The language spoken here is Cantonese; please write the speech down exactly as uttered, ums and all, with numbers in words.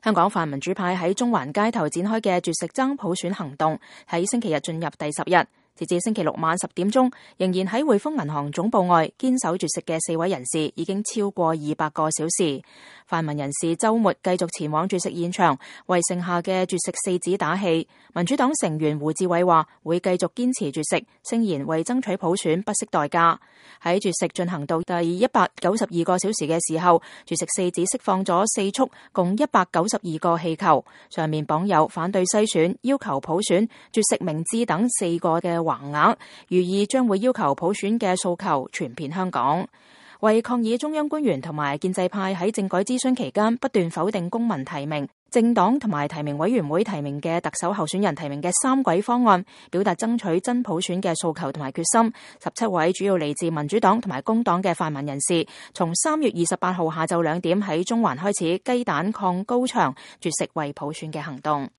香港泛民主派喺中環街頭展開嘅絕食爭普選行動，喺星期日進入第十日。截至星期六晚十點鐘，仍然喺匯豐銀行總部外堅守絕食嘅四位人士已經超過二百個小時。泛民人士週末繼續前往絕食現場，為剩下嘅絕食四子打氣。民主黨成員胡志偉話會繼續堅持絕食，聲言為爭取普選不惜代價。喺絕食進行到第一百九十二個小時嘅時候，絕食四子釋放咗四束共一百九十二個氣球，上面綁有反對篩選、要求普選、絕食明智等四個嘅橫額，寓意將會要求普選嘅訴求傳遍香港。為抗議中央官員同埋建制派喺政改諮詢期間不斷否定公民提名、政黨同埋提名委員會提名嘅特首候選人提名嘅三軌方案，表達爭取真普選嘅訴求同埋決心。十七位主要嚟自民主黨同埋工黨嘅泛民人士，從三月二十八號下晝兩點喺中環開始雞蛋抗高牆絕食為普選嘅行動。